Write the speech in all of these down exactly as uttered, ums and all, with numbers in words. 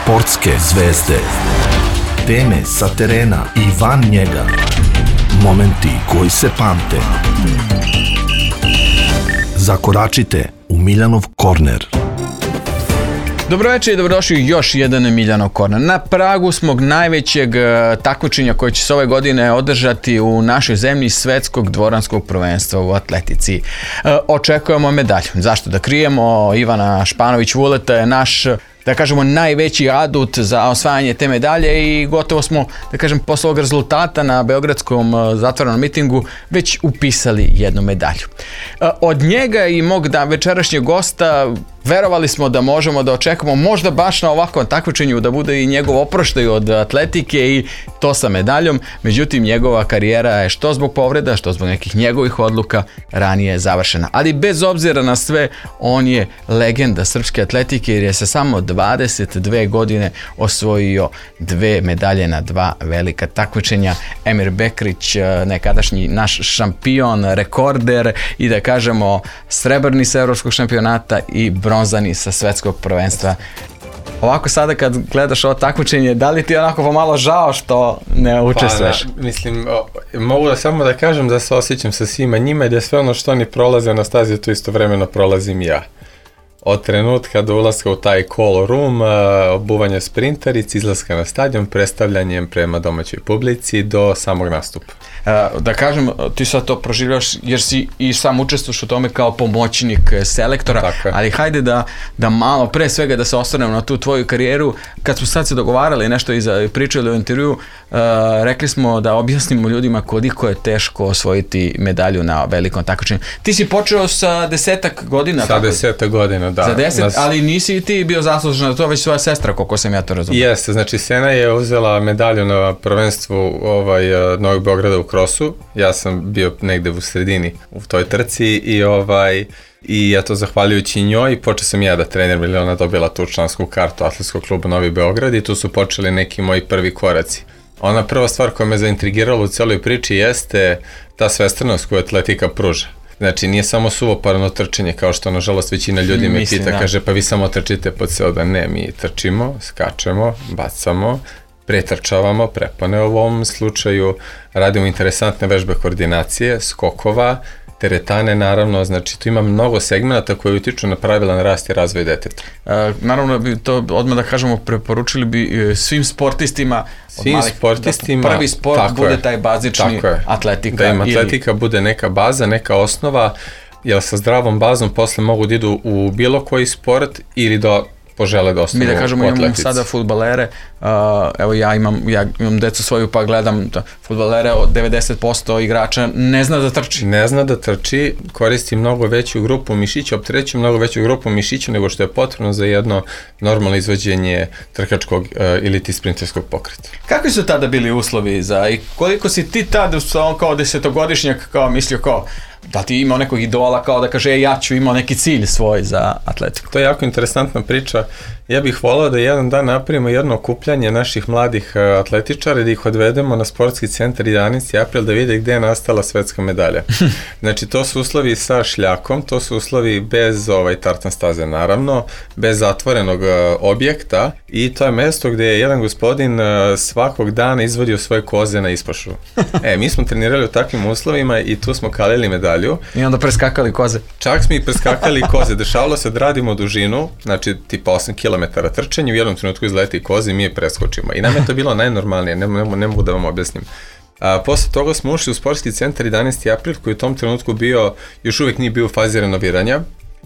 Sportske zvezde. Teme sa terena i van njega. Momenti koji se pamte. Zakoračite u Miljanov korner. Dobroveče i dobrodošli u još jedan Miljanov korner. Na pragu smo najvećeg takmičenja koje će se ove godine održati u našoj zemlji, svetskog dvoranskog prvenstva u atletici. Očekujemo medalju. Zašto da krijemo? Ivana Španović-Vuleta je naš, da kažemo, najveći adut za osvajanje te medalje i gotovo smo, da kažem, posle ovog rezultata na beogradskom zatvorenom mitingu već upisali jednu medalju. Od njega i mog da večerašnjeg gosta verovali smo da možemo da očekamo možda baš na ovakvom takmičenju da bude i njegov oproštaj od atletike i to sa medaljom, međutim njegova karijera je što zbog povreda, što zbog nekih njegovih odluka ranije završena. Ali bez obzira na sve, on je legenda srpske atletike jer je sa samo dvadeset dve godine osvojio dve medalje na dva velika takmičenja. Emir Bekrić, nekadašnji naš šampion, rekorder i da kažemo srebrni sa evropskog šampionata i bronzani sa svetskog prvenstva. Ovako sada kad gledaš ovo takmičenje, da li ti je onako pomalo žao što ne učestvuješ? Pa, mislim, o, mogu da samo da kažem da se osjećam sa svima njima i da sve ono što oni prolaze na stazi, to istovremeno prolazim ja. Od trenutka do ulaska u taj call room, obuvanja sprintarici, izlaska na stadion, predstavljanjem prema domaćoj publici do samog nastupa. Da kažem, ti sad to proživljaš jer si i sam učestvuješ u tome kao pomoćnik selektora, tako, ali hajde da, da malo pre svega da se osvrnemo na tu tvoju karijeru. Kad smo sad se dogovarali nešto i pričali u intervju, uh, rekli smo da objasnimo ljudima koliko je teško osvojiti medalju na velikom takmičenju. Ti si počeo sa desetak godina. Sa desetak godina, da. Za deset, Nas... ali nisi ti bio zaslužen za to, već svoja sestra, koliko sam ja to razumio. Jeste, znači Sena je uzela medalju na prvenstvu ovaj, Novog Beograda u krosu. Ja sam bio negde u sredini u toj trci i ovaj i eto, zahvaljujući njoj počeo sam ja da treniram jer ona dobila tu člansku kartu Atletskog kluba Novi Beograd i tu su počeli neki moji prvi koraci. Ona prva stvar koja me zaintrigirala u celoj priči jeste ta svestranost koju atletika pruža. Znači, nije samo suvoparno trčanje, kao što, nažalost, većina ljudi me Mislim, pita, da. kaže, pa vi samo trčite po ceo dan. Ne, mi trčimo, skačemo, bacamo, pretrčavamo, prepone u ovom slučaju, radimo interesantne vežbe koordinacije, skokova, teretane, naravno, znači tu ima mnogo segmenta koji utiču na pravilan rast i razvoj deteta. E, naravno, bi to odmah da kažemo, preporučili bi svim sportistima, svim malih, sportistima, da prvi sport bude je, taj bazični atletika. Da im atletika ili... bude neka baza, neka osnova, jer sa zdravom bazom posle mogu da idu u bilo koji sport ili da požele da ostanu u atletici. Mi da kažemo, imamo sada fudbalere, uh, evo ja imam, ja imam decu svoju pa gledam da fudbalere, od devedeset posto igrača ne zna da trči. Ne zna da trči, koristi mnogo veću grupu mišića, opterećuje mnogo veću grupu mišića nego što je potrebno za jedno normalno izvođenje trkačkog uh, ili ti sprinterskog pokreta. Kakvi su tada bili uslovi za, i koliko si ti tada kao desetogodišnjak kao mislio kao, da ti imao nekog idola kao da kaže, e, ja ću imao neki cilj svoj za atletiku? To je jako interesantna priča. Ja bih volao da jedan dan napravimo jedno okupljanje naših mladih atletičara i da ih odvedemo na sportski centar jedanaesti april da vide gde je nastala svetska medalja. Znači, to su uslovi sa šljakom, to su uslovi bez ovaj, tartan staze, naravno, bez zatvorenog objekta i to je mesto gde je jedan gospodin svakog dana izvodio svoje koze na ispašu. E, mi smo trenirali u takvim uslovima i tu smo kalili medalju. I onda preskakali koze. Čak smo i preskakali koze. Dešavalo se da radimo dužinu, znači tipa osam kilometara trčanja, u jednom trenutku izleti koze i mi je preskočimo. I nam je to bilo najnormalnije, ne, ne, ne mogu da vam objasnim. A, posle toga smo ušli u sportski centar jedanaesti april koji u tom trenutku bio, još uvijek nije bio u fazi renoviranja.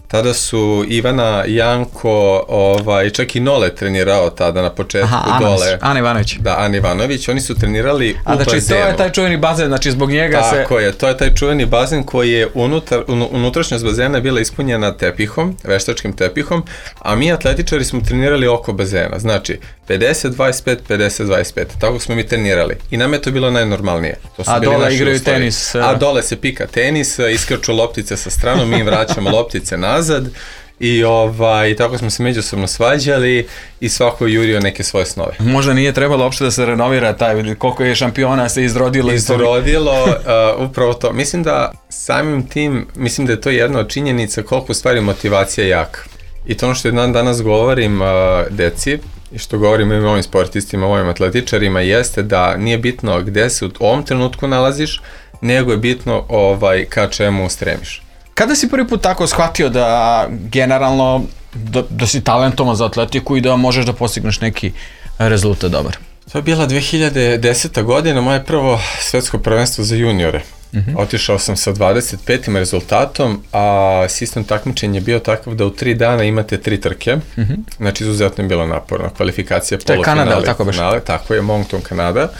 Tada su Ivana, Janko, ovaj, čak i Nole trenirao tada na početku. Aha, dole. Ana Ivanović. Da, Ana Ivanović, oni su trenirali A, u znači, bazenu. to je taj čuveni bazen, znači zbog njega Tako se... Tako je, to je taj čuveni bazen koji je unutar, unutrašnjost bazena bila ispunjena tepihom, veštačkim tepihom, a mi atletičari smo trenirali oko bazena, znači pedeset dvadeset pet, pedeset dvadeset pet, tako smo mi trenirali i nam je to bilo najnormalnije. To su a bili dole igraju uslovi. tenis. A dole se pika tenis, iskrču loptice sa stranom, mi im vraćamo loptice nazad i ovaj, tako smo se međusobno svađali i svako je jurio neke svoje snove. Možda nije trebalo uopšte da se renovira taj, koliko je šampiona se izrodilo. Izrodilo, uh, upravo to. Mislim da samim tim, mislim da je to jedna od činjenica koliko u stvari motivacija jaka. I to ono što jedan danas govorim uh, deci, i što govorimo i ovim sportistima, ovim atletičarima, jeste da nije bitno gde se u ovom trenutku nalaziš, nego je bitno ovaj, ka čemu stremiš. Kada si prvi put tako shvatio da generalno da, da si talentovan za atletiku i da možeš da postigneš neki rezultat dobar? To je bila dve hiljade deseta godina, moje prvo svetsko prvenstvo za juniore. Uh-huh. Otišao sam sa dvadeset petim rezultatom, a sistem takmičenja je bio takav da u tri dana imate tri trke, uh-huh. znači izuzetno je bilo naporno, kvalifikacija, polufinale, to je Kanada, tako finale, tako je, Moncton, Kanada,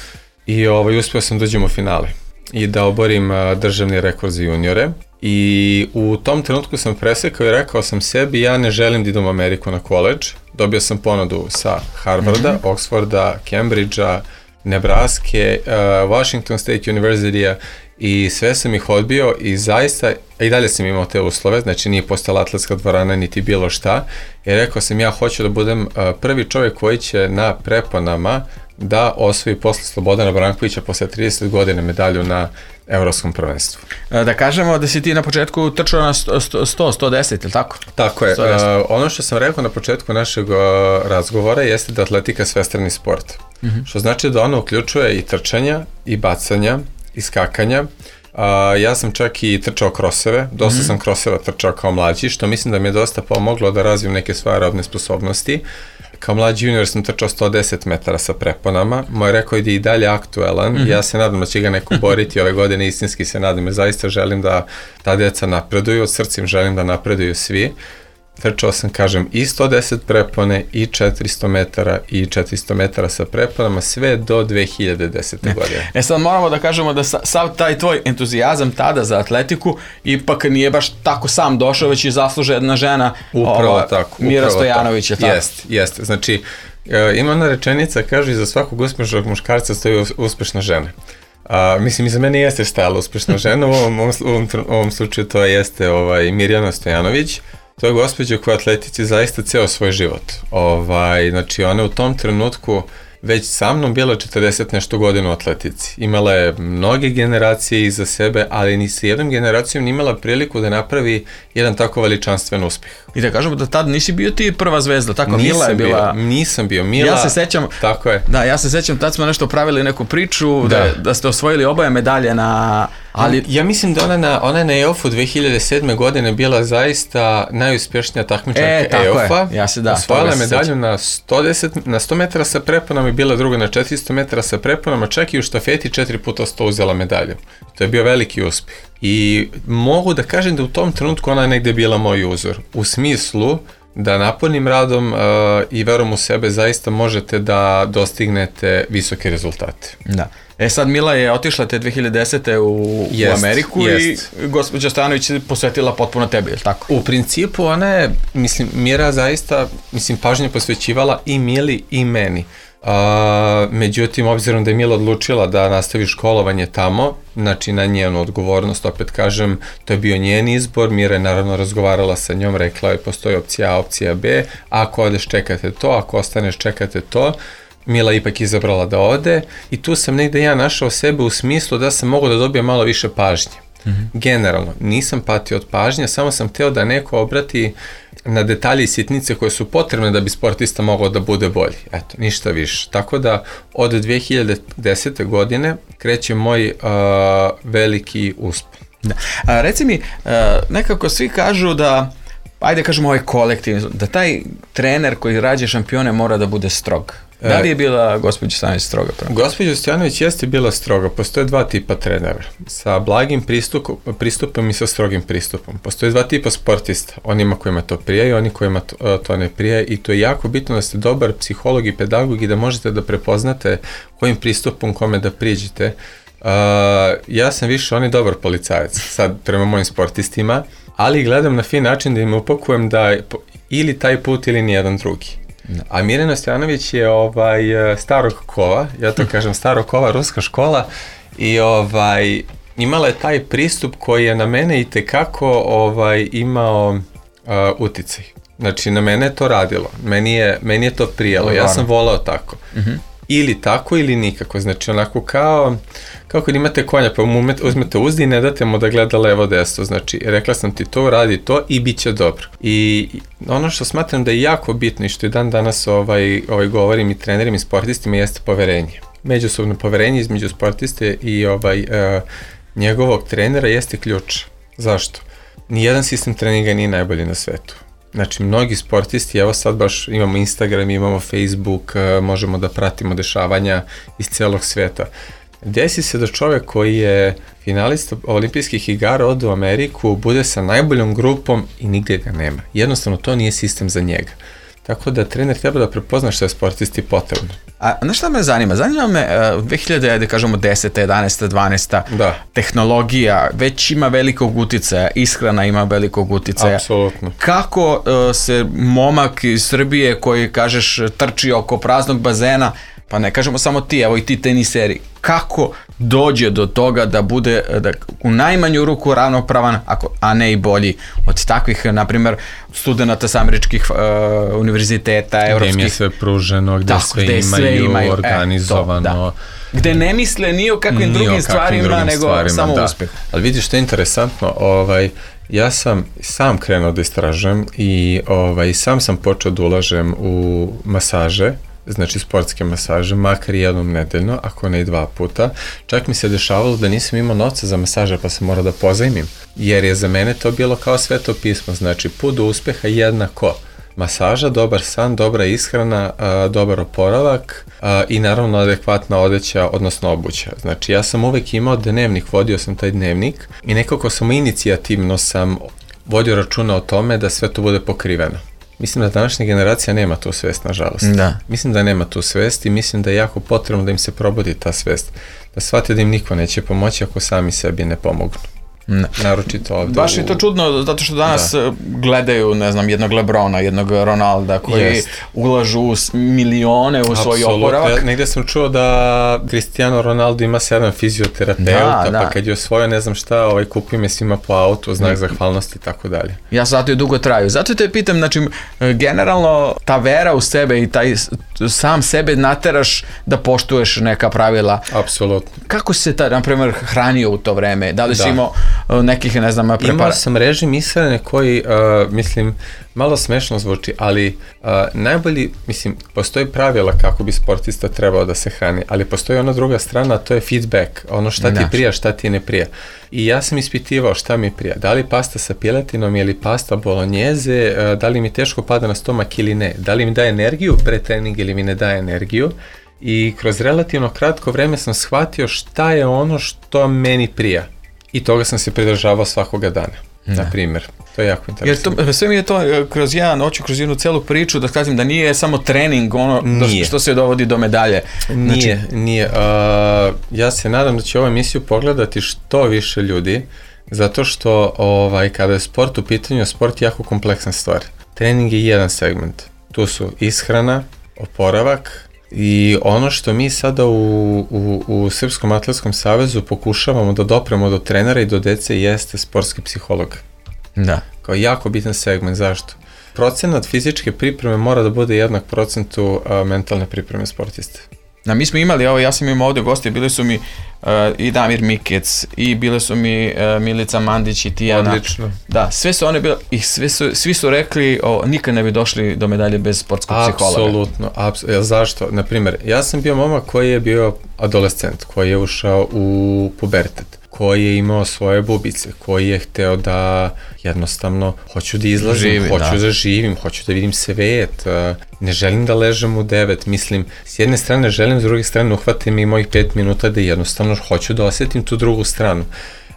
i ovaj, uspio sam dođem u finale i da oborim uh, državni rekord za juniore. I u tom trenutku sam presekao i rekao sam sebi, ja ne želim da idem u Ameriku na koledž. Dobio sam ponudu sa Harvarda, mm-hmm. Oxforda, Cambridgea, Nebraske, uh, Washington State University-a i sve sam ih odbio i zaista, i dalje sam imao te uslove, znači nije postala atletska dvorana niti bilo šta, i rekao sam ja hoću da budem uh, prvi čovjek koji će na preponama da osvoji posle Slobodana Brankovića posle trideset godina medalju na evropskom prvenstvu. Da kažemo da si ti na početku trčao na sto, sto deset, ili tako? Tako je. Uh, ono što sam rekao na početku našeg uh, razgovora jeste da atletika je svestrani sport. Mm-hmm. Što znači da ono uključuje i trčanja, i bacanja, i skakanja. Uh, ja sam čak i trčao kroseve, dosta mm-hmm. sam kroseva trčao kao mlađi, što mislim da mi je dosta pomoglo da razvijem neke svoje aerobne sposobnosti. Kao mlađi junior sam trčao sto deset metara sa preponama, moj rekord je i dalje aktuelan, mm-hmm. ja se nadam da će ga neko boriti ove godine, istinski se nadam, jer zaista želim da ta deca napreduju, od srcem želim da napreduju svi. Trčao sam, kažem, i sto deset prepone, i četiristo metara, i četiristo metara sa preponama, sve do dve hiljade desete. godine. E sad moramo da kažemo da sav taj tvoj entuzijazam tada za atletiku ipak nije baš tako sam došao, već i zasluže jedna žena, upravo ova, tako, Mira upravo Stojanović. Tako. Jest, jest. Znači, e, ima ona rečenica, kaže, iza svakog uspešnog muškarca stoji uspešna žena. A, mislim, iza mene jeste stajala uspešna žena, u ovom, ovom, ovom, ovom slučaju to jeste ovaj, Mirjana Stojanović. To je gospođa koja atletici zaista ceo svoj život. Ovaj, znači, ona u tom trenutku već sa mnom bila četrdeset nešto godina u atletici. Imala je mnoge generacije iza sebe, ali ni sa jednom generacijom nije imala priliku da napravi jedan tako veličanstven uspeh. I da kažemo da tad nisi bio ti prva zvezda, tako? Nisam Mila je bila... Bio, nisam bio. Mila, ja se sećam, tako je. Da, ja se sećam, tad smo nešto pravili neku priču, da, da, da ste osvojili oboje medalje na... Ali... Ja mislim da ona na, ona je na E O F-u dve hiljade sedme. godine bila zaista najuspješnija takmičarka e, E O F-a. Ja se da. Osvojila medalju na sto deset, na sto metara sa preponama i bila druga na četiristo metara sa preponama, čak i u štafeti četiri puta sto uzela medalju. To je bio veliki uspjeh. I mogu da kažem da u tom trenutku ona je negde bila moj uzor. U smislu da napornim radom uh, i verom u sebe zaista možete da dostignete visoke rezultate. Da. E sad Mila je otišla te dve hiljade desete u, jest, u Ameriku jest. I gospođa Stojanović je posvetila potpuno tebi, je li tako? U principu ona je, mislim, Mira zaista, mislim, pažnje posvećivala i Mili i meni. Uh, međutim, obzirom da je Mila odlučila da nastavi školovanje tamo, znači na njenu odgovornost, opet kažem, to je bio njen izbor, Mira je naravno razgovarala sa njom, rekla je postoji opcija A, opcija B, ako odeš čekate to, ako ostaneš čekate to. Mila ipak izabrala da ode i tu sam negde ja našao sebe u smislu da sam mogao da dobijem malo više pažnje. Mm-hmm. Generalno, nisam patio od pažnje, samo sam hteo da neko obrati na detalje i sitnice koje su potrebne da bi sportista mogao da bude bolji. Eto, ništa više. Tako da od dve hiljade desete. godine kreće moj uh, veliki uspon. Da. A, reci mi, uh, nekako svi kažu da, ajde kažemo ovaj kolektiv, da taj trener koji rađe šampione mora da bude strog. Da li je bila gospođa Stojanović stroga? Gospođa Stojanović jeste bila stroga. Postoje dva tipa trenera. Sa blagim pristupom, pristupom i sa strogim pristupom. Postoje dva tipa sportista. Onima kojima to prija i oni kojima to, to ne prija. I to je jako bitno da ste dobar psiholog i pedagog i da možete da prepoznate kojim pristupom kome da priđete. Uh, ja sam više on je dobar policajac. Sad prema mojim sportistima. Ali gledam na fin način da im upakujem da ili taj put ili nijedan drugi. A Mirjana Stojanović je ovaj, starog kova, ja to kažem starog kova, ruska škola i ovaj, imala je taj pristup koji je na mene i tekako ovaj, imao uh, uticaj. Znači na mene je to radilo, meni je, meni je to prijelo, ja sam volao tako. Uh-huh. ili tako ili nikako, znači onako kao, kao kad imate konja pa mu uzmete uzdi i ne date mu da gleda levo desno, znači rekla sam ti to, radi to i bit će dobro. I ono što smatram da je jako bitno i što i dan danas ovaj, ovaj govorim i trenerima i sportistima jeste poverenje. Međusobno poverenje između sportiste i ovaj, uh, njegovog trenera jeste ključ. Zašto? Nijedan sistem treninga nije najbolji na svetu. Znači, mnogi sportisti, evo sad baš imamo Instagram, imamo Facebook, možemo da pratimo dešavanja iz celog sveta. Desi se da čovek koji je finalista olimpijskih igara ode u Ameriku, bude sa najboljom grupom i nigde ga nema. Jednostavno, to nije sistem za njega. Tako da trener treba da prepozna što je sportisti potrebno. A znaš šta me zanima? Zanima me uh, dve hiljade, da kažemo deseta, jedanaesta, dvanaesta da. tehnologija već ima velikog uticaja, ishrana ima velikog uticaja. Apsolutno. Kako uh, se momak iz Srbije koji, kažeš, trči oko praznog bazena, pa ne kažemo samo ti, evo i ti teniseri, kako dođe do toga da bude da, u najmanju ruku ravnopravan, ako, a ne i bolji od takvih, na primjer, studenata sa američkih uh, univerziteta, evropskih. Gde im je sve pruženo, gde, tako, sve, gde imaju sve imaju organizovano. E, to, da. Gde ne misle ni o kakvim ni drugim o stvarima, drugim nego stvarima, samo da. uspeh. Ali vidiš što je interesantno, ovaj, ja sam sam krenuo da istražujem i ovaj, sam sam počeo da ulažem u masaže, znači sportske masaže, makar jednom nedeljno, ako ne i dva puta. Čak mi se dešavalo da nisam imao novca za masaže, pa sam morao da pozajmim, jer je za mene to bilo kao sveto pismo, znači put do uspeha jednako masaža, dobar san, dobra ishrana, a, dobar oporavak a, i naravno adekvatna odeća, odnosno obuća. Znači ja sam uvek imao dnevnik, vodio sam taj dnevnik i nekako sam inicijativno sam vodio računa o tome da sve to bude pokriveno. Mislim da današnja generacija nema tu svest, nažalost. Da. Mislim da nema tu svest i mislim da je jako potrebno da im se probudi ta svest. Da shvate da im niko neće pomoći ako sami sebi ne pomognu. Ne. Naročito ovdje. Baš je to čudno, zato što danas da. gledaju, ne znam, jednog Lebrona, jednog Ronalda, koji Jest. ulažu milione u svoj oporavak. Ja, negdje sam čuo da Cristiano Ronaldo ima sedam fizioterapeuta, da, pa da. kad je osvojio ne znam šta, ovaj, kupio me svima po autu, znak zahvalnosti i tako dalje. Ja zato i dugo traju. Zato te pitam, znači, generalno, ta vera u sebe i taj sam sebe nateraš da poštuješ neka pravila. Apsolutno. Kako se ta, na primjer, hranio u to vreme? Da li si da. imao nekih, ne znam, prepara? Imao sam režim ishrane koji, uh, mislim, malo smešno zvuči, ali uh, najbolji, mislim, postoji pravila kako bi sportista trebao da se hrani, ali postoji ona druga strana, a to je feedback, ono šta ti prija, šta ti ne prija. I ja sam ispitivao šta mi prija, da li pasta sa piletinom ili pasta bolognese, uh, da li mi teško pada na stomak ili ne, da li mi daje energiju pre treninga ili mi ne daje energiju. I kroz relativno kratko vreme sam shvatio šta je ono što meni prija. I toga sam se pridržavao svakoga dana, ne. na primjer. To je jako interesantno. Jer to, sve mi je to kroz jedan noću, kroz jednu celu priču, da kažem da nije samo trening ono do, što se dovodi do medalje. Nije, znači... nije. Uh, ja se nadam da će ovu emisiju pogledati što više ljudi, zato što ovaj, kada je sport u pitanju, sport je jako kompleksan stvar. Trening je jedan segment. Tu su ishrana, oporavak, i ono što mi sada u, u, u Srpskom atletskom savezu pokušavamo da dopremo do trenera i do dece jeste sportski psiholog. Da. Kao jako bitan segment. Zašto? Procenat fizičke pripreme mora da bude jednak procentu a, mentalne pripreme sportiste. Da, mi smo imali, ovo, ja sam imao ovdje goste, bili su mi uh, i Damir Mikec, i bile su mi uh, Milica Mandić i Tijana. Odlično. Da, sve su one bile, i sve su, svi su rekli, o, nikad ne bi došli do medalje bez sportskog psihologa. Apsolutno, apsolutno. Zašto? Naprimjer, ja sam bio momak koji je bio adolescent, koji je ušao u pubertet, koji je imao svoje bubice, koji je hteo da jednostavno hoću da izlazim, Živi, hoću da. da živim, hoću da vidim svet, ne želim da ležem u devet, mislim, s jedne strane želim, s druge strane uhvatim i mojih pet minuta da jednostavno hoću da osjetim tu drugu stranu.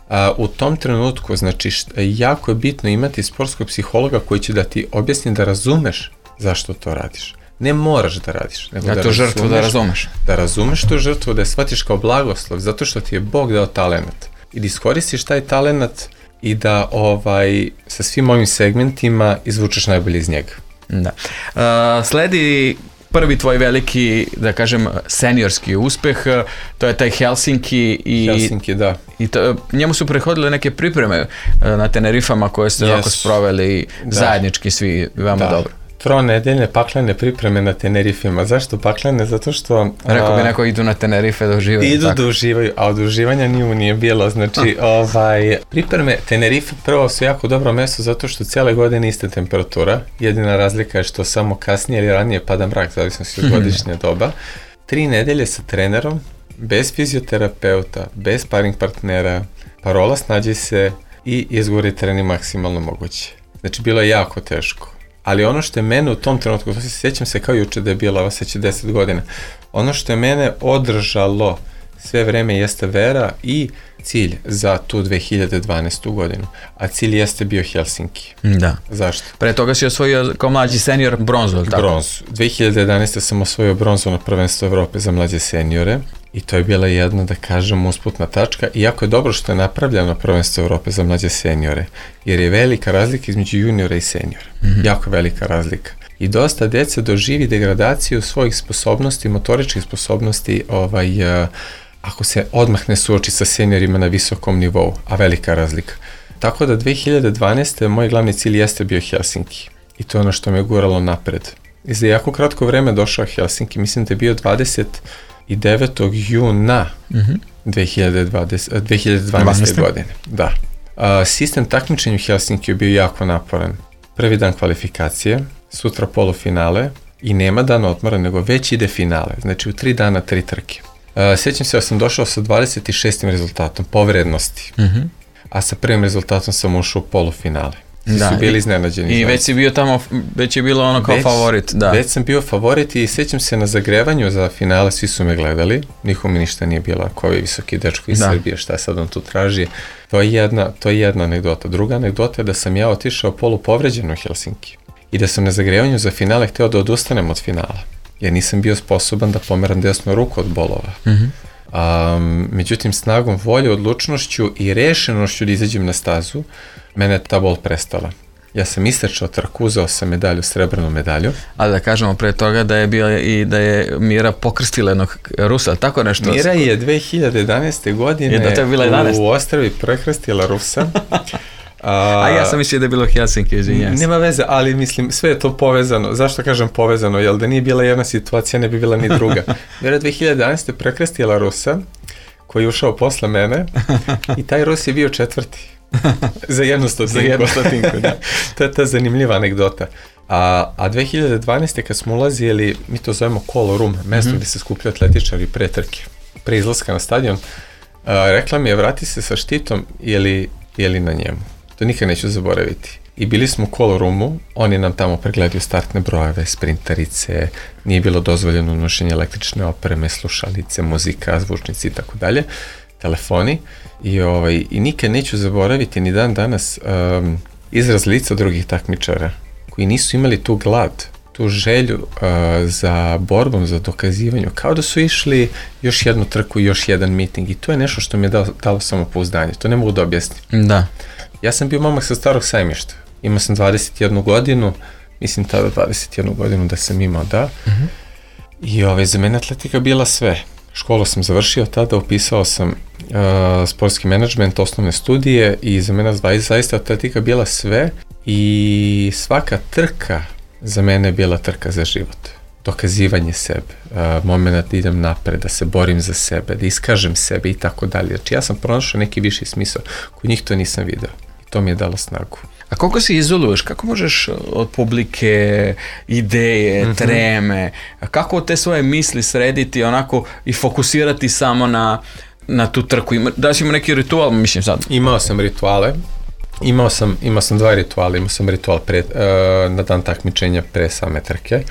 A, u tom trenutku, znači, št, jako je bitno imati sportskog psihologa koji će da ti objasni da razumeš zašto to radiš. Ne moraš da radiš. Nego da, da to razumeš, žrtvu da razumeš. Da razumeš tu žrtvu, da je shvatiš kao blagoslov, zato što ti je Bog dao talenat. I da iskoristiš taj talenat i da ovaj, sa svim ovim segmentima izvučeš najbolje iz njega. Da. Uh, sledi prvi tvoj veliki, da kažem, seniorski uspeh, to je taj Helsinki i, Helsinki, da. i to, njemu su prehodile neke pripreme na Tenerifama koje ste yes. ovako sproveli da. zajednički svi, veoma da. dobro. tronedeljne paklene pripreme na Tenerifima. Zašto paklene? Zato što... Rekao bi neko idu na Tenerife da uživaju. Idu tako da uživaju, a od uživanja nije, nije bilo. Znači, ovaj, pripreme Tenerife prvo su jako dobro mesto zato što cijele godine iste temperatura. Jedina razlika je što samo kasnije ili ranije pada mrak, zavisno od godišnje doba. Tri nedelje sa trenerom, bez fizioterapeuta, bez sparing partnera, parola snađi se i izgori trening maksimalno moguće. Znači, bilo je jako teško. Ali ono što je mene u tom trenutku, to se sjećam se kao juče da je bila, ovo seća deset godina, ono što je mene održalo sve vreme jeste vera i cilj za tu dve hiljade dvanaestu godinu. A cilj jeste bio Helsinki. Da. Zašto? Pre toga si osvojio kao mlađi senior bronzu, ili tako? Bronzu. dve hiljade jedanaeste sam osvojio bronzu na prvenstvo Evrope za mlađe seniore i to je bila jedna, da kažem, usputna tačka. I jako je dobro što je napravljeno prvenstvo Evrope za mlađe seniore, jer je velika razlika između juniora i seniora. Mm-hmm. Jako velika razlika. I dosta dece doživi degradaciju svojih sposobnosti, motoričkih sposobnosti, ovaj, uh, ako se odmah ne suoči sa seniorima na visokom nivou, a velika razlika. Tako da dve hiljade dvanaeste moj glavni cilj jeste bio Helsinki. I to je ono što me guralo napred. I za jako kratko vreme došao Helsinki, mislim da je bio dvadeset devetog juna mm-hmm. dve hiljade dvanaeste. godine. Da. A, sistem takmičenja u Helsinki je bio jako naporan. Prvi dan kvalifikacije, sutra polufinale i nema dana odmora, nego već ide finale. Znači u tri dana tri trke. Uh, sjećam se da sam došao sa dvadeset šestim rezultatom po vrednosti, mm-hmm. a sa prvim rezultatom sam ušao u polufinale. Da, su bili iznenađeni. I već si bio tamo, već je bilo ono kao već, favorit. Da. Već sam bio favorit i sjećam se na zagrevanju za finale, svi su me gledali, nikom mi ništa nije bilo, ako ovi visoki dečko iz da. Srbije, šta sad on tu traži. To je, jedna, to je jedna anegdota. Druga anegdota je da sam ja otišao polu povređen u Helsinki i da sam na zagrevanju za finale hteo da odustanem od finala. Jer nisam bio sposoban da pomeram desnu ruku od bolova. Mm-hmm. Um, međutim, snagom volje, odlučnošću i rešenošću da izađem na stazu, mene je ta bol prestala. Ja sam istrčao trku, uzeo sam medalju, srebrnu medalju. Ali da kažemo pre toga da je bio i da je Mira pokrstila jednog Rusa, tako nešto? Mira je dve hiljade jedanaeste. godine je da to je bila jedanaesta. U Ostravi prekrstila Rusa. A, a ja sam mislio da je bilo Helsinki, izvinjam se. Nema veze, ali mislim, sve je to povezano. Zašto kažem povezano? Jer da nije bila jedna situacija, ne bi bila ni druga. Mira dve hiljade jedanaeste. prekrstila Rusa, koji je ušao posle mene, i taj Rus je bio četvrti. Za jednu stotinku. Za jednu stotinku, da. To je ta zanimljiva anegdota. A, a dve hiljade dvanaeste. kad smo ulazili, mi to zovemo Call Room, mesto mm-hmm. gde se skupljaju atletičari pre trke, pre izlaska na stadion, a, rekla mi je, vrati se sa štitom, je li na njemu. To nikad neću zaboraviti. I bili smo u call roomu, oni nam tamo pregledaju startne brojeve, sprintarice, nije bilo dozvoljeno nošenje električne opreme, slušalice, muzika, zvučnici i tako dalje, telefoni. I, ovaj, i nikad neću zaboraviti ni dan danas um, izraz lica drugih takmičara koji nisu imali tu glad, tu želju uh, za borbom, za dokazivanju, kao da su išli još jednu trku, još jedan miting, i to je nešto što mi je dalo, dalo samopouzdanje, to ne mogu da objasnim. Da. Ja sam bio momak sa Starog Sajmišta, imao sam dvadeset jednu godinu, mislim tada dvadeset jednu godinu da sam imao, da, mm-hmm. i ovaj, za mene atletika bila sve. Školu sam završio tada, upisao sam uh, sportski menadžment, osnovne studije, i za mene zaista atletika bila sve, i svaka trka za mene je bila trka za život. Dokazivanje sebe, uh, moment da idem napred, da se borim za sebe, da iskažem sebe i tako dalje. Znači ja sam pronašao neki viši smisao, kod njih to nisam video. I to mi je dalo snagu. A koliko se izoluješ? Kako možeš od publike, ideje, mm-hmm. treme, kako te svoje misli srediti onako i fokusirati samo na, na tu trku? Da li si imao neki ritual, mislim sad? Imao sam rituale. Imao sam, imao sam dva rituala. Imao sam ritual pre, uh, na dan takmičenja pre same trke.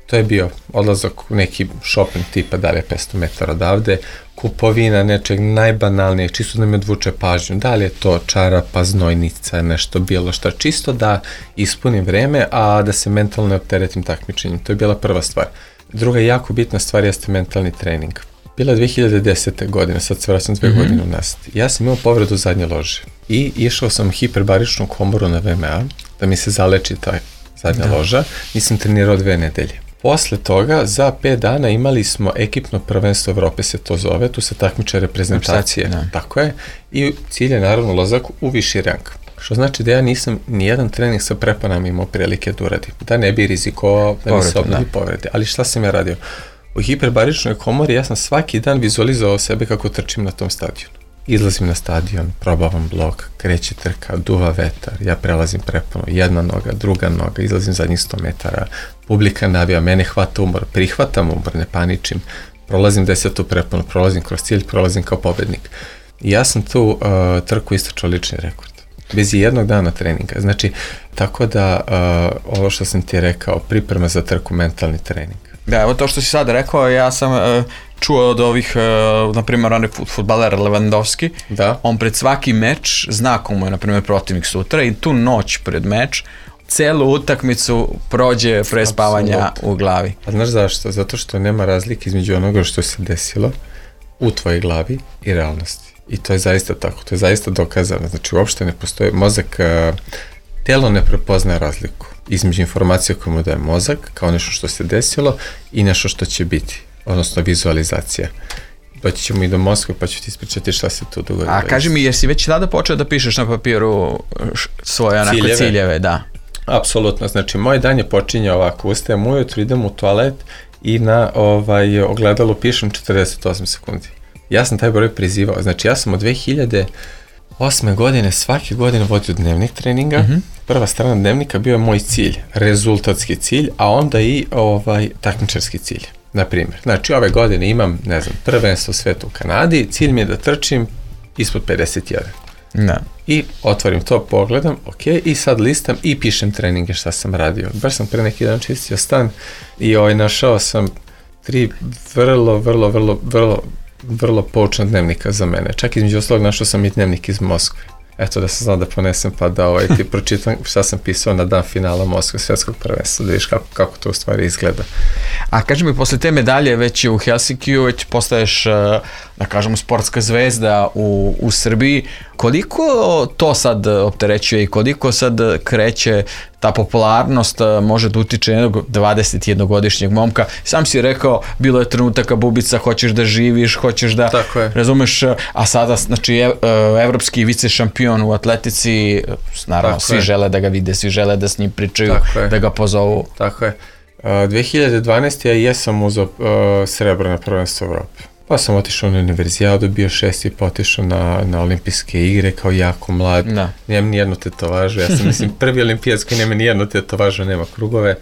To je bio odlazak u neki shopping tipa da li je petsto metara odavde, kupovina nečeg najbanalnijeg, čisto da mi odvuče pažnju, da li je to čarapa, znojnica, nešto bilo šta, čisto da ispunim vreme, a da se mentalno ne opteretim takmičenjem. To je bila prva stvar. Druga jako bitna stvar jeste mentalni trening. Bila je dve hiljade desete. godine, sad se vraćam dve mm-hmm. godine unazad. Ja sam imao povredu zadnje lože i išao sam hiperbaričnu komoru na V M A da mi se zaleči ta zadnja da. loža. Nisam trenirao dve nedelje. Posle toga, za pet dana imali smo ekipno prvenstvo Evrope, se to zove, tu se takmiče reprezentacije, tako je, i cilj je naravno ulazak u viši rang. Što znači da ja nisam nijedan trening sa prepanama imao prilike da uradim. Da ne bi rizikovao, da mi se obnovi povrede. Ali šta sam ja radio? U hiperbaričnoj komori ja sam svaki dan vizualizovao sebe kako trčim na tom stadionu. Izlazim na stadion, probavam blok, kreće trka, duva vetar, ja prelazim preponu, jedna noga, druga noga, izlazim zadnjih sto metara, publika navija, mene hvata umor, prihvatam umor, ne paničim, prolazim desetu preponu, prolazim kroz cilj, prolazim kao pobednik. I ja sam tu uh, trku istračao lični rekord. Bez jednog dana treninga. Znači, tako da uh, ovo što sam ti rekao, priprema za trku, mentalni trening. Da, evo to što si sad rekao, ja sam uh, čuo od ovih, uh, na primjer, onaj fudbaler Lewandowski, da. On pred svaki meč zna komu je, na primjer, protivnik sutra i tu noć pred meč celu utakmicu prođe pre spavanja u glavi. A znaš zašto? Zato što nema razlike između onoga što se desilo u tvojoj glavi i realnosti. I to je zaista tako, to je zaista dokazano. Znači, uopšte ne postoji mozak, uh, telo ne prepozna razliku između informacije koje mu daje mozak, kao nešto što se desilo i nešto što će biti, odnosno vizualizacija. Doći ćemo i do Moskve, pa ću ti ispričati šta se tu dogodilo. A kaži mi, jesi već tada počeo da pišeš na papiru svoje onako ciljeve, ciljeve da? Apsolutno, znači moj dan je počinjao ovako, ustajem ujutru, idem u toalet i na ovaj, ogledalu pišem četrdeset osam sekundi. Ja sam taj broj prizivao, znači ja sam od dve hiljade osme godine svake godine vodio dnevnik treninga. Mm-hmm. Prva strana dnevnika bio je moj cilj, rezultatski cilj, a onda i ovaj takmičarski cilj. Na primjer, znači ove godine imam, ne znam, prvenstvo sveta u Kanadi, cilj mi je da trčim ispod pedeset jedan. Da. I otvorim to, pogledam, ok, i sad listam i pišem treninge šta sam radio. Baš sam pre neki dan čistio stan i ovaj, našao sam tri vrlo, vrlo, vrlo, vrlo vrlo poučan dnevnika za mene. Čak između ostalog našao sam i dnevnik iz Moskve. Eto da sam znao da ponesem pa da ovaj, ti pročitam šta sam pisao na dan finala Moskve svjetskog prvenstva, da vidiš kako, kako to u stvari izgleda. A kaži mi, posle te medalje već u Helsinkiju, već postaješ, da kažemo, sportska zvezda u, u Srbiji. Koliko to sad opterećuje i koliko sad kreće ta popularnost, može da utiče jednog dvadesetjednogodišnjeg momka? Sam si rekao, bilo je trenutaka Bubica, hoćeš da živiš, hoćeš da, razumeš, a sada, znači, evropski vice šampion u atletici, naravno, tako svi je. Žele da ga vide, svi žele da s njim pričaju, tako da ga pozovu. Tako je. Uh, dve hiljade dvanaeste. ja jesam uzeo uh, srebro na prvenstvo Evrope. Pa sam otišao na univerzijadu, bio šesti, pa otišao na, na olimpijske igre kao jako mlad. Da. Nemam nijednu tetovažu, ja sam mislim prvi olimpijac koji nema nijednu tetovažu, nema krugove.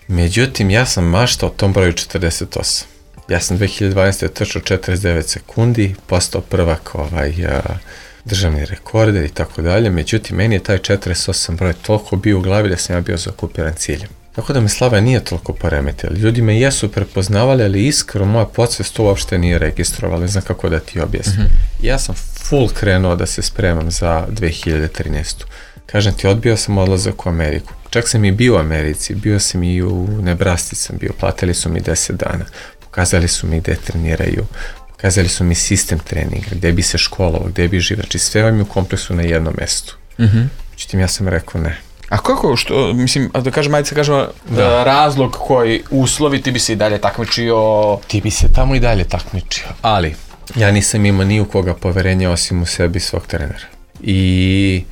Međutim, ja sam maštao o tom broju četrdeset osam. Ja sam dve hiljade dvanaeste. trčao četrdeset devet sekundi, postao prvak ovaj, uh, državni rekorde i tako dalje. Međutim, meni je taj četrdeset osam broj toliko bio u glavi da sam ja bio zaokupiran ciljem. Tako da me slava nije toliko poremetila. Ljudi me jesu prepoznavali, ali iskreno moja podsvest to uopšte nije registrovala, ne znam kako da ti objasnim. Mm-hmm. Ja sam full krenuo da se spremam za dve hiljade trinaestu. Kažem ti, odbio sam odlazak u Ameriku. Čak sam i bio u Americi, bio sam i u Nebraski sam bio, platili su mi deset dana, pokazali su mi gde treniraju, pokazali su mi sistem treninga, gde bi se školovao, gde bi živio, znači sve vam je u kompleksu na jednom mestu. Mm-hmm. Međutim, ja sam rekao ne. A kako, što, mislim, da kažem, ajde se kažemo, da. razlog koji uslovi, ti bi se i dalje takmičio? Ti bi se tamo i dalje takmičio, ali ja nisam imao ni u koga poverenja osim u sebi svog trenera. I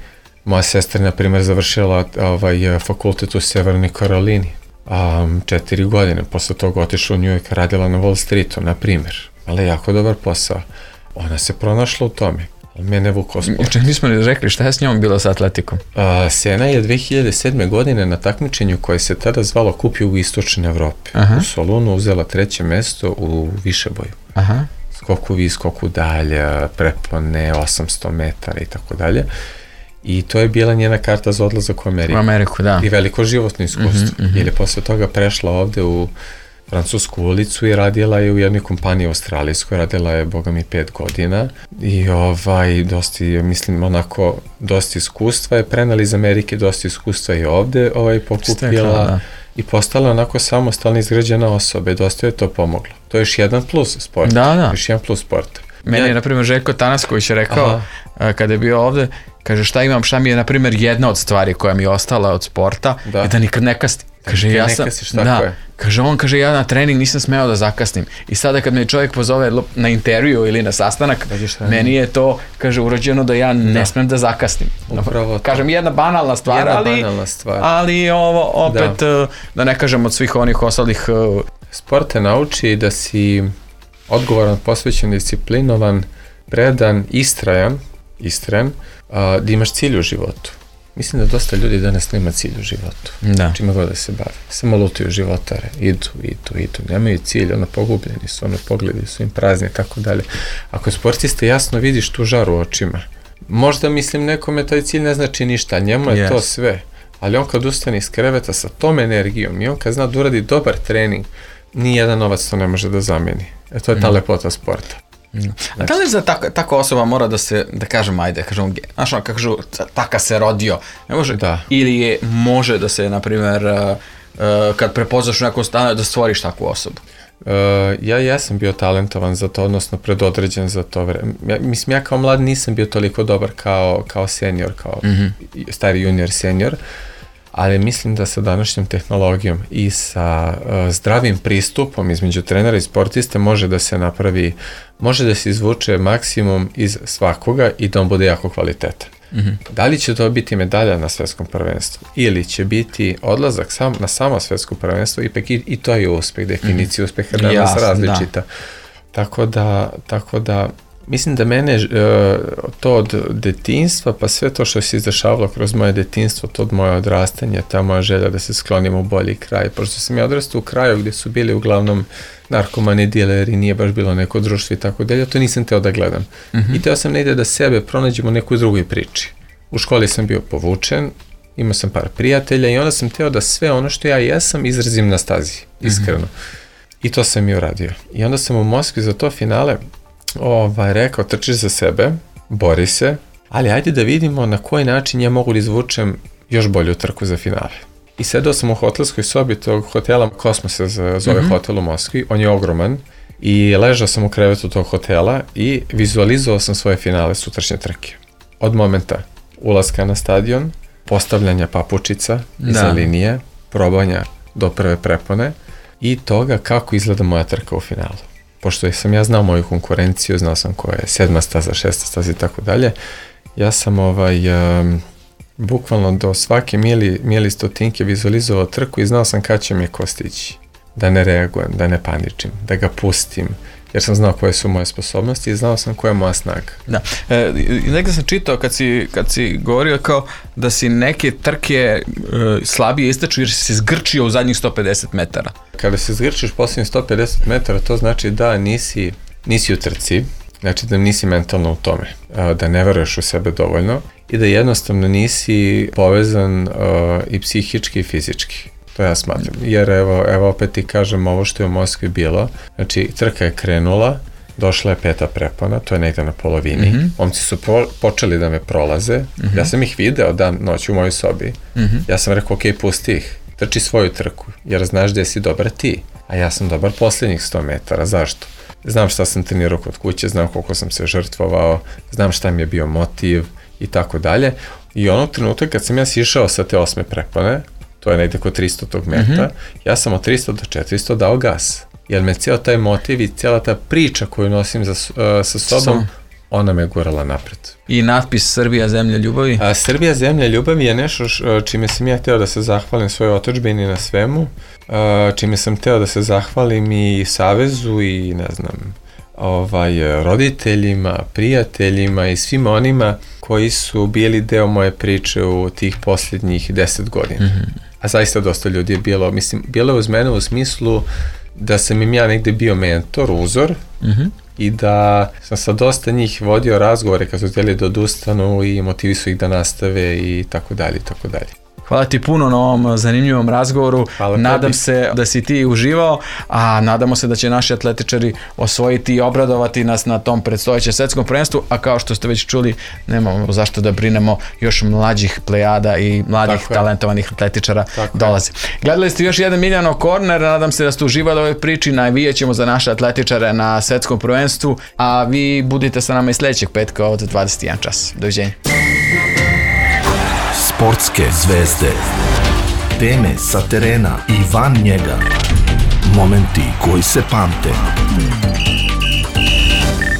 moja sestra, na primjer, završila ovaj, fakultet u Severnoj Karolini, um, četiri godine, posle toga otišla u New York, radila na Wall Streetu, na primjer, ali jako dobar posao. Ona se pronašla u tome. Mene vukao sport. Čak nismo ni rekli šta je s njom bilo sa atletikom? A, Sena je dve hiljade sedme. godine na takmičenju koje se tada zvalo Kup Jugoistočne Evrope. Aha. U Solunu uzela treće mesto u višeboju. Aha. Skoku vis, skoku dalje, prepone, osamsto metara i tako dalje. I to je bila njena karta za odlazak u Ameriku. U Ameriku, da. I veliko životno iskustvo. Mm-hmm, mm-hmm. Jer je posle toga prešla ovde u Francusku ulicu i radila je u jednoj kompaniji australijskoj, radila je, boga mi, pet godina i ovaj, dosta, mislim, onako, dosta iskustva je prenala iz Amerike, dosta iskustva je ovde ovaj, pokupila. Stekla, da. I postala onako samostalna izgrađena osoba i dosta je to pomoglo. To je još jedan plus sporta. Da, da. Još jedan plus sporta. Meni je, na primjer, Željko Tanasković je rekao, aha, kada je bio ovde, kaže, šta imam, šta mi je, na primjer, jedna od stvari koja mi je ostala od sporta, da, je da nikad ne kasnim. Kaže, ja sam, da, Kaže, on kaže, ja na trening nisam smeo da zakasnim. I sada kad me čovjek pozove na intervju ili na sastanak, meni je to, kaže, urođeno da ja ne da. smem da zakasnim. Upravo kažem, jedna banalna stvar, jedna ali, banalna stvar. ali ovo opet, da. da ne kažem od svih onih ostalih... Sport te nauči da si odgovoran, posvećen, disciplinovan, predan, istrajan, istrajan, da imaš cilj u životu. Mislim da dosta ljudi danas nema cilj u životu. Da. Čima god da se bave. Samo lutaju životare. Idu, idu, idu. Nemaju cilj, ono pogubljeni su, ono pogledi su im prazni i tako dalje. Ako sportiste jasno vidiš tu žaru u očima. Možda mislim nekome taj cilj ne znači ništa, njemu je yes. to sve. Ali on kad ustane iz kreveta sa tom energijom i on kad zna da uradi dobar trening, nijedan novac to ne može da zameni. E to je ta mm. lepota sporta. Mm. A da li za tak, tako osoba mora da se, da kažem, ajde, kažem, znaš ono, kažu, taka se rodio, ne može, da. Ili je, može da se, na primjer, uh, uh, kad prepoznaš u nekom stanu, da stvoriš takvu osobu? Uh, ja, ja sam bio talentovan za to, odnosno predodređen za to vreme. Ja, mislim, ja kao mlad nisam bio toliko dobar kao, kao senior, kao mm-hmm. stari junior, senior, ali mislim da sa današnjom tehnologijom i sa uh, zdravim pristupom između trenera i sportiste može da se napravi, može da se izvuče maksimum iz svakoga i da on bude jako kvalitetan. Mm-hmm. Da li će to biti medalja na svetskom prvenstvu ili će biti odlazak sam, na samo svetsko prvenstvo, ipak i, i to je uspeh, definicija mm-hmm. uspeha danas Jasne, različita. Da. Tako da, tako da mislim da mene to od detinjstva, pa sve to što se izdešavalo kroz moje detinjstvo, to od moje odrastanje, ta moja želja da se sklonim u bolji kraj. Pošto sam ja odrastao u kraju gdje su bili uglavnom narkomani, dileri, nije baš bilo neko društvo i tako dalje, to nisam teo da gledam. Mm-hmm. I teo sam negdje da sebe pronađem u nekoj drugoj priči. U školi sam bio povučen, imao sam par prijatelja i onda sam teo da sve ono što ja jesam izrazim na stazi, iskreno. Mm-hmm. I to sam i uradio. I onda sam u Moskvi za to finale ovaj, rekao, trčiš za sebe, bori se, ali ajde da vidimo na koji način ja mogu da izvučem još bolju trku za finale. I sedao sam u hotelskoj sobi tog hotela, Kosmos se zove mm-hmm. hotel u Moskvi, on je ogroman, i ležao sam u krevetu tog hotela i vizualizovao sam svoje finale sutrašnje trke. Od momenta ulaska na stadion, postavljanja papučica iza linije, probanja do prve prepone i toga kako izgleda moja trka u finalu. Pošto sam ja znao moju konkurenciju, znao sam koja je sedma staza, šesta staza i tako dalje, ja sam ovaj, um, bukvalno do svake mili, mili stotinke vizualizovao trku i znao sam kad će mi ko stići. Da ne reagujem, da ne paničim, da ga pustim, jer sam znao koje su moje sposobnosti i znao sam koja je moja snaga. Da. E, negdje sam čitao kad si, kad si govorio kao da si neke trke e, slabije istaču jer si se zgrčio u zadnjih sto pedeset metara. Kada se zgrčiš posljednjih sto pedeset metara, to znači da nisi, nisi u trci, znači da nisi mentalno u tome, da ne veruješ u sebe dovoljno i da jednostavno nisi povezan uh, i psihički i fizički. To ja smatram, jer evo, evo opet ti kažem ovo što je u Moskvi bilo, znači trka je krenula, došla je peta prepona, to je negdje na polovini, mm-hmm. momci su po, počeli da me prolaze, mm-hmm. ja sam ih video dan noć u mojoj sobi, mm-hmm. ja sam rekao ok, pusti ih, trči svoju trku, jer znaš da si dobar ti, a ja sam dobar posljednjih sto metara, zašto? Znam šta sam trenirao kod kuće, znam koliko sam se žrtvovao, znam šta mi je bio motiv i tako dalje, i onog trenutka kad sam ja sišao sa te osme prepone, to je negdje kod tristo tog meta, mm-hmm. ja sam od tristo do četiristo dao gas. Jer me cijel taj motiv i cijela ta priča koju nosim za, uh, sa sobom, Sam. ona me gurala napred. I natpis Srbija zemlja ljubavi? A, Srbija zemlja ljubavi je nešto š, čime sam ja htio da se zahvalim svojoj otadžbini na svemu, uh, čime sam htio da se zahvalim i savezu i ne znam, ovaj, roditeljima, prijateljima i svima onima koji su bili deo moje priče u tih posljednjih deset godina. Mm-hmm. A zaista dosta ljudi je bilo, mislim, bilo je uz mene u smislu da sam im ja negde bio mentor, uzor, mm-hmm. i da sam sa dosta njih vodio razgovore kad su htjeli da odustanu i motivisu ih da nastave i tako dalje, tako dalje. Hvala ti puno na ovom zanimljivom razgovoru. Hvala Nadam tebi. se da si ti uživao, a nadamo se da će naši atletičari osvojiti i obradovati nas na tom predstojećem svetskom prvenstvu, a kao što ste već čuli, nemamo zašto da brinemo, još mlađih plejada i mladih Tako talentovanih je. atletičara Tako dolaze. Je. Gledali ste još jedan Miljanov Corner, nadam se da ste uživali u ovoj priči, navijat ćemo za naše atletičare na svetskom prvenstvu, a vi budite sa nama i sljedećeg petka od dvadeset jedan čas. Doviđenja. Sportske zvezde. Teme sa terena i van njega. Momenti koji se pamte.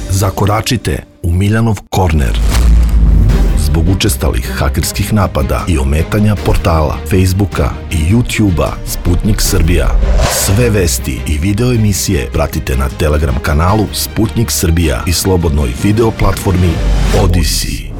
Zakoračite u Miljanov korner. Zbog učestalih hakerskih napada i ometanja portala, Facebooka i YouTubea Sputnik Srbija. Sve vesti i video emisije pratite na Telegram kanalu Sputnik Srbija i slobodnoj video platformi Odyssey.